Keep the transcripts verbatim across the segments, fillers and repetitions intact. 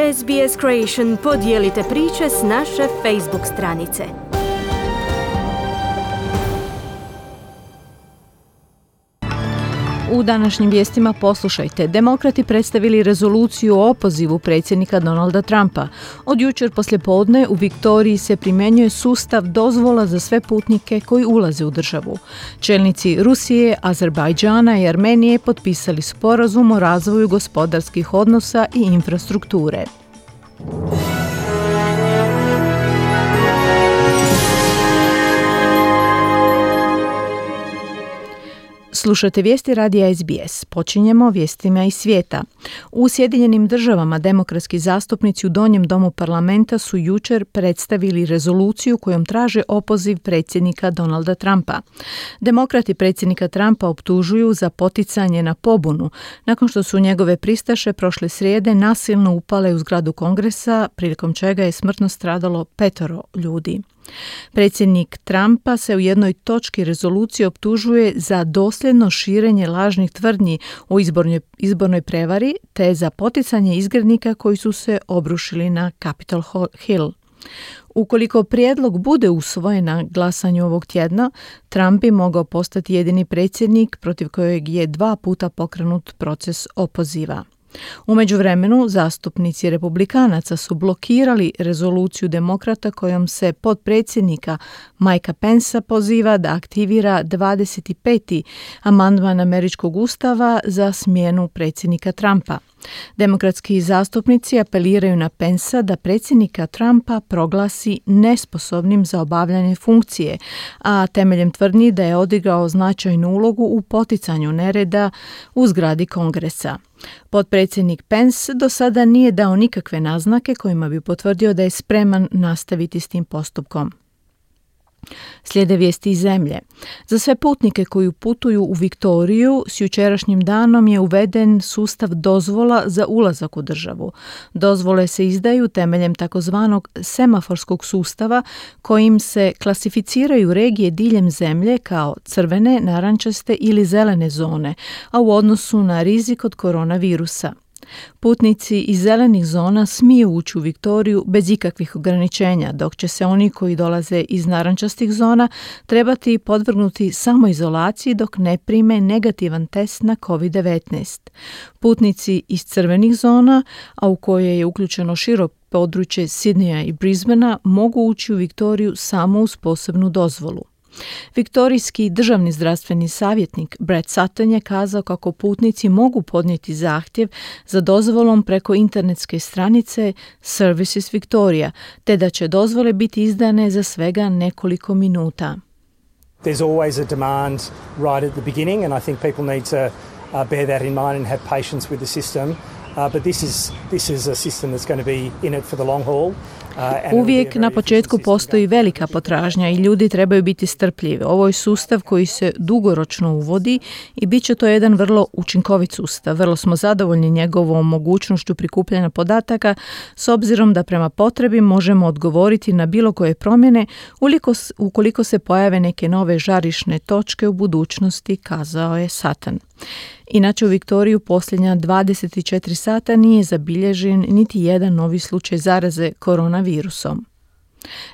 S B S Creation podijelite priče s naše Facebook stranice. U današnjim vijestima poslušajte. Demokrati predstavili rezoluciju o opozivu predsjednika Donalda Trumpa. Od jučer poslijepodne u Viktoriji se primjenjuje sustav dozvola za sve putnike koji ulaze u državu. Čelnici Rusije, Azerbajdžana i Armenije potpisali sporazum o razvoju gospodarskih odnosa i infrastrukture. Slušate vijesti radija S B S. Počinjemo vijestima iz svijeta. U Sjedinjenim državama demokratski zastupnici u Donjem domu parlamenta su jučer predstavili rezoluciju kojom traže opoziv predsjednika Donalda Trumpa. Demokrati predsjednika Trumpa optužuju za poticanje na pobunu nakon što su njegove pristaše prošle srijede nasilno upale u zgradu Kongresa, prilikom čega je smrtno stradalo petoro ljudi. Predsjednik Trumpa se u jednoj točki rezolucije optužuje za dosljedno širenje lažnih tvrdnji o izbornoj, izbornoj prevari te za poticanje izgrednika koji su se obrušili na Capitol Hill. Ukoliko prijedlog bude usvojen na glasanju ovog tjedna, Trump bi mogao postati jedini predsjednik protiv kojeg je dva puta pokrenut proces opoziva. U međuvremenu, zastupnici republikanaca su blokirali rezoluciju demokrata kojom se potpredsjednika Mikea Pensa poziva da aktivira dvadeset peti amandman američkog ustava za smjenu predsjednika Trumpa. Demokratski zastupnici apeliraju na Pensa da predsjednika Trumpa proglasi nesposobnim za obavljanje funkcije, a temeljem tvrdnji da je odigrao značajnu ulogu u poticanju nereda u zgradi Kongresa. Potpredsjednik Pence do sada nije dao nikakve naznake kojima bi potvrdio da je spreman nastaviti s tim postupkom. Slijede vijesti iz zemlje. Za sve putnike koji putuju u Viktoriju s jučerašnjim danom je uveden sustav dozvola za ulazak u državu. Dozvole se izdaju temeljem takozvanog semaforskog sustava kojim se klasificiraju regije diljem zemlje kao crvene, narančaste ili zelene zone, a u odnosu na rizik od koronavirusa. Putnici iz zelenih zona smiju ući u Viktoriju bez ikakvih ograničenja, dok će se oni koji dolaze iz narančastih zona trebati podvrgnuti samoizolaciji dok ne prime negativan test na covid devetnaest. Putnici iz crvenih zona, a u koje je uključeno širo područje Sidneya i Brisbanea, mogu ući u Viktoriju samo uz posebnu dozvolu. Viktorijski državni zdravstveni savjetnik Brett Sutton je kazao kako putnici mogu podnijeti zahtjev za dozvolom preko internetske stranice Services Victoria, te da će dozvole biti izdane za svega nekoliko minuta. There's always a demand right at the beginning and I think people need to uh, bear that in mind and have patience with the system. Uh, but this is this is a system that's going to be in it for the long haul. Uvijek na početku postoji velika potražnja i ljudi trebaju biti strpljivi. Ovo je sustav koji se dugoročno uvodi i bit će to jedan vrlo učinkovit sustav. Vrlo smo zadovoljni njegovom mogućnošću prikupljanja podataka s obzirom da prema potrebi možemo odgovoriti na bilo koje promjene ukoliko se pojave neke nove žarišne točke u budućnosti, kazao je Sutton. Inače u Viktoriju posljednja dvadeset četiri sata nije zabilježen niti jedan novi slučaj zaraze koronavirusom.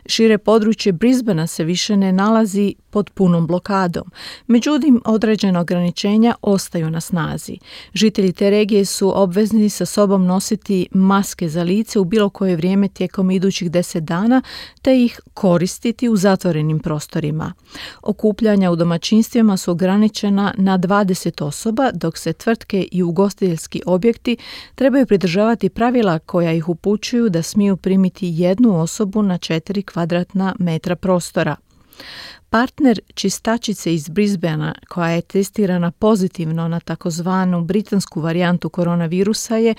Šire područje Brisbanea se više ne nalazi pod punom blokadom. Međutim, određena ograničenja ostaju na snazi. Žitelji te regije su obvezni sa sobom nositi maske za lice u bilo koje vrijeme tijekom idućih deset dana, te ih koristiti u zatvorenim prostorima. Okupljanja u domaćinstvima su ograničena na dvadeset osoba, dok se tvrtke i ugostiteljski objekti trebaju pridržavati pravila koja ih upućuju da smiju primiti jednu osobu na četiri kvadratna metra prostora. Partner čistačice iz Brisbanea, koja je testirana pozitivno na takozvanu britansku varijantu koronavirusa, je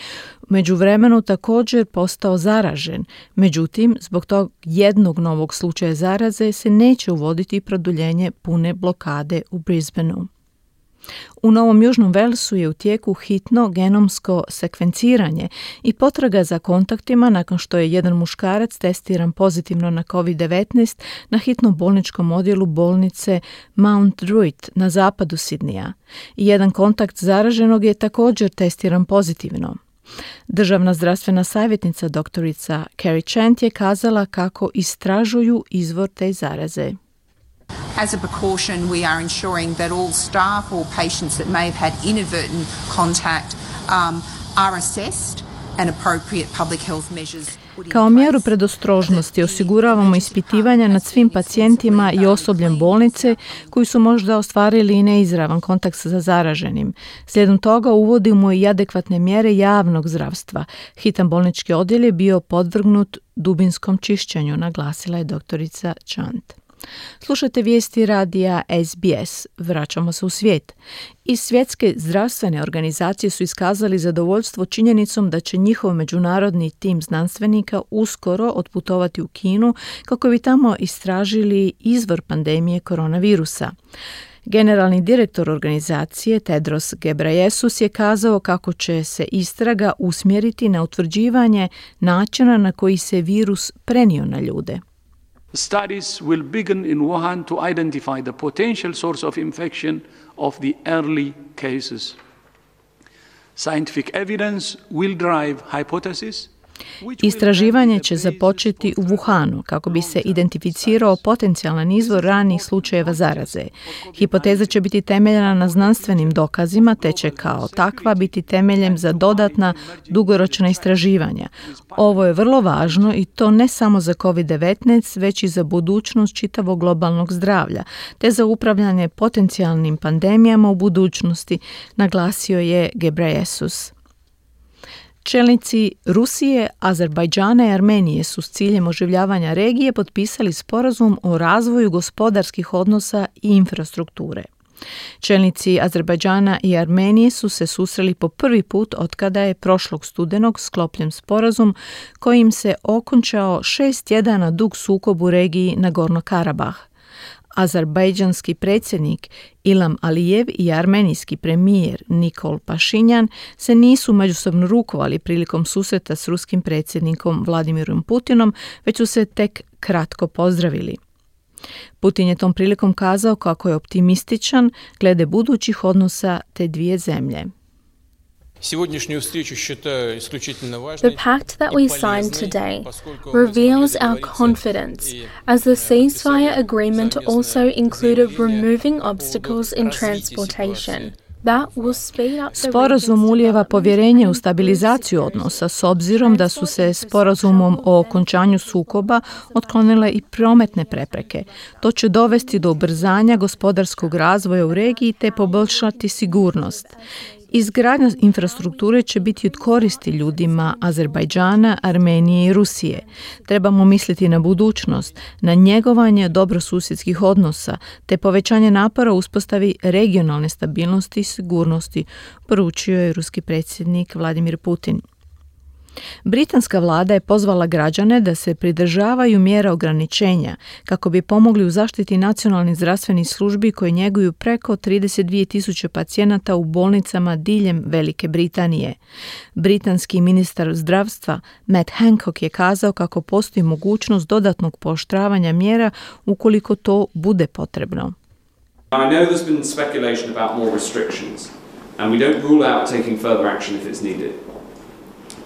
međuvremenu također postao zaražen. Međutim, zbog tog jednog novog slučaja zaraze se neće uvoditi produljenje pune blokade u Brisbaneu. U Novom Južnom Walesu je u tijeku hitno genomsko sekvenciranje i potraga za kontaktima nakon što je jedan muškarac testiran pozitivno na covid devetnaest na hitnom bolničkom odjelu bolnice Mount Druitt na zapadu Sidneya. I jedan kontakt zaraženog je također testiran pozitivno. Državna zdravstvena savjetnica doktorica Carrie Chant je kazala kako istražuju izvor te zaraze. As a precaution, we are ensuring that all staff or patients that may have had inadvertent contact um, are assessed and appropriate public health measures. Kao mjeru predostrožnosti osiguravamo ispitivanja nad svim pacijentima i osobljem bolnice koji su možda ostvarili i neizravan kontakt sa zaraženim. Slijedom toga uvodimo i adekvatne mjere javnog zdravstva. Hitan bolnički odjel je bio podvrgnut dubinskom čišćenju, naglasila je doktorica Chant. Slušajte vijesti radija S B S. Vraćamo se u svijet. I svjetske zdravstvene organizacije su iskazali zadovoljstvo činjenicom da će njihov međunarodni tim znanstvenika uskoro otputovati u Kinu kako bi tamo istražili izvor pandemije koronavirusa. Generalni direktor organizacije Tedros Ghebreyesus je kazao kako će se istraga usmjeriti na utvrđivanje načina na koji se virus prenio na ljude. Studies will begin in Wuhan to identify the potential source of infection of the early cases. Scientific evidence will drive hypotheses. Istraživanje će započeti u Wuhanu kako bi se identificirao potencijalan izvor ranijih slučajeva zaraze. Hipoteza će biti temeljena na znanstvenim dokazima te će kao takva biti temeljem za dodatna dugoročna istraživanja. Ovo je vrlo važno i to ne samo za kovid devetnaest, već i za budućnost čitavog globalnog zdravlja, te za upravljanje potencijalnim pandemijama u budućnosti, naglasio je Ghebreyesus. Čelnici Rusije, Azerbajdžana i Armenije su s ciljem oživljavanja regije potpisali sporazum o razvoju gospodarskih odnosa i infrastrukture. Čelnici Azerbajdžana i Armenije su se susreli po prvi put otkada je prošlog studenog sklopljen sporazum kojim se okončao šest tjedana dug sukob u regiji Nagorno-Karabah. Azerbajdžanski predsjednik Ilham Alijev i armenijski premijer Nikol Pašinjan se nisu međusobno rukovali prilikom susreta s ruskim predsjednikom Vladimirom Putinom, već su se tek kratko pozdravili. Putin je tom prilikom kazao kako je optimističan glede budućih odnosa te dvije zemlje. The pact that we signed today reveals our confidence, as the ceasefire agreement also included removing obstacles in transportation. Sporazum ulijeva povjerenje u stabilizaciju odnosa s obzirom da su se sporazumom o okončanju sukoba otklonile i prometne prepreke. To će dovesti do ubrzanja gospodarskog razvoja u regiji te poboljšati sigurnost. Izgradnja infrastrukture će biti od koristi ljudima Azerbajdžana, Armenije i Rusije. Trebamo misliti na budućnost, na njegovanje dobrosusjedskih odnosa, te povećanje napora u uspostavi regionalne stabilnosti i sigurnosti, poručio je ruski predsjednik Vladimir Putin. Britanska vlada je pozvala građane da se pridržavaju mjera ograničenja kako bi pomogli u zaštiti nacionalnih zdravstvenih službi koje njeguju preko trideset dvije tisuće pacijenata u bolnicama diljem Velike Britanije. Britanski ministar zdravstva Matt Hancock je kazao kako postoji mogućnost dodatnog pooštravanja mjera ukoliko to bude potrebno. I know there's been speculation about more restrictions and we don't rule out taking further action if it's needed.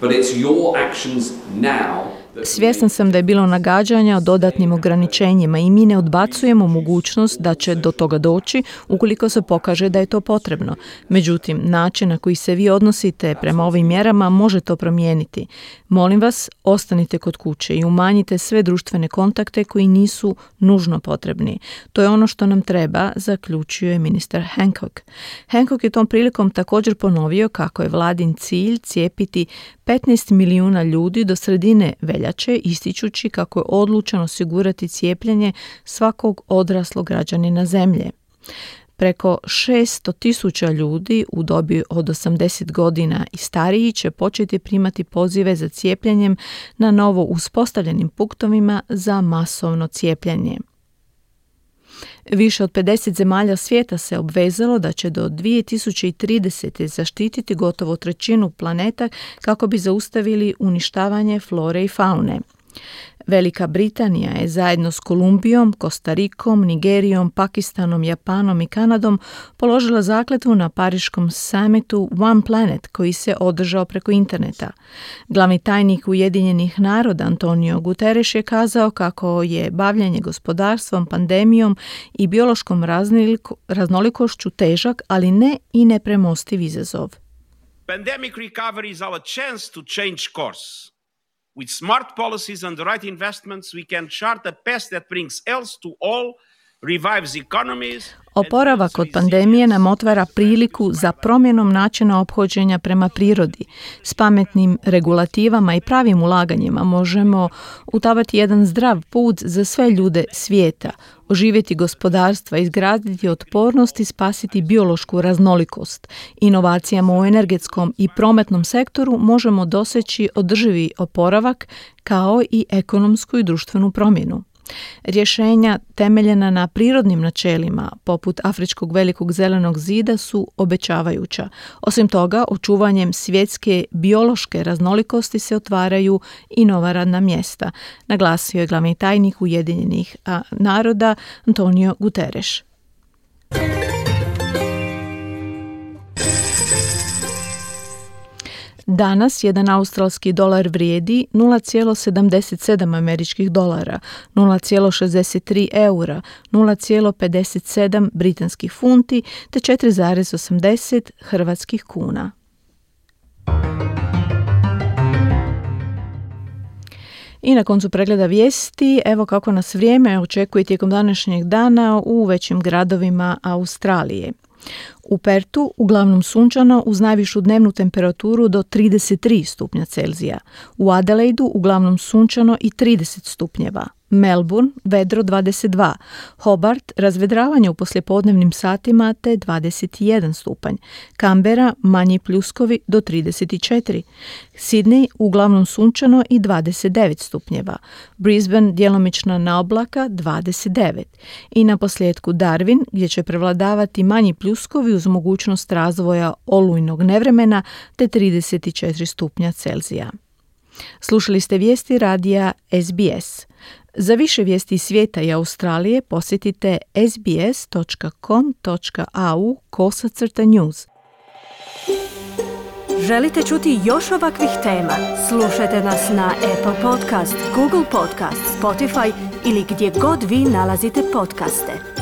But it's your actions now. Svjestan sam da je bilo nagađanja o dodatnim ograničenjima i mi ne odbacujemo mogućnost da će do toga doći ukoliko se pokaže da je to potrebno. Međutim, način na koji se vi odnosite prema ovim mjerama može to promijeniti. Molim vas, ostanite kod kuće i umanjite sve društvene kontakte koji nisu nužno potrebni. To je ono što nam treba, zaključio je ministar Hancock. Hancock je tom prilikom također ponovio kako je vladin cilj cijepiti petnaest milijuna ljudi do sredine veljače, ističući kako je odlučan osigurati cijepljenje svakog odraslog građanina zemlje. Preko šesto tisuća ljudi u dobi od osamdeset godina i stariji će početi primati pozive za cijepljenjem na novo uspostavljenim punktovima za masovno cijepljenje. Više od pedeset zemalja svijeta se obvezalo da će do dvije tisuće tridesete. zaštititi gotovo trećinu planeta kako bi zaustavili uništavanje flore i faune. Velika Britanija je zajedno s Kolumbijom, Kostarikom, Nigerijom, Pakistanom, Japanom i Kanadom položila zakletvu na Pariškom summitu One Planet koji se održao preko interneta. Glavni tajnik Ujedinjenih naroda Antonio Guterres je kazao kako je bavljenje gospodarstvom, pandemijom i biološkom raznolikošću težak, ali ne i nepremostiv izazov. Pandemic recovery is our chance to change course. With smart policies and the right investments, we can chart a path that brings health to all, revives economies. Oporavak od pandemije nam otvara priliku za promjenom načina ophođenja prema prirodi. S pametnim regulativama i pravim ulaganjima možemo utavati jedan zdrav put za sve ljude svijeta, oživjeti gospodarstva, izgraditi otpornost i spasiti biološku raznolikost. Inovacijama u energetskom i prometnom sektoru možemo doseći održivi oporavak kao i ekonomsku i društvenu promjenu. Rješenja temeljena na prirodnim načelima, poput Afričkog velikog zelenog zida, su obećavajuća. Osim toga, očuvanjem svjetske biološke raznolikosti se otvaraju i nova radna mjesta, naglasio je glavni tajnik Ujedinjenih naroda Antonio Guterres. Danas jedan australski dolar vrijedi nula zarez sedamdeset sedam američkih dolara, nula zarez šezdeset tri eura, nula zarez pedeset sedam britanskih funti te četiri zarez osamdeset hrvatskih kuna. I na koncu pregleda vijesti, evo kako nas vrijeme očekuje tijekom današnjeg dana u većim gradovima Australije. U Pertu uglavnom sunčano uz najvišu dnevnu temperaturu do trideset tri stupnja Celzija. U Adelaidu uglavnom sunčano i trideset stupnjeva. Melbourne vedro dvadeset dva, Hobart razvedravanje u poslijepodnevnim satima te dvadeset jedan stupanj, Canberra manji pljuskovi do trideset četiri, Sydney uglavnom sunčano i dvadeset devet stupnjeva, Brisbane djelomična naoblaka dvadeset devet i na posljedku Darwin gdje će prevladavati manji pljuskovi uz mogućnost razvoja olujnog nevremena te trideset četiri stupnja Celzija. Slušali ste vijesti radija S B S. Za više vijesti iz svijeta i Australije posjetite sbs.com.au kosacrta news. Želite čuti još ovakvih tema? Slušajte nas na Apple Podcast, Google Podcast, Spotify ili gdje god vi nalazite podcaste.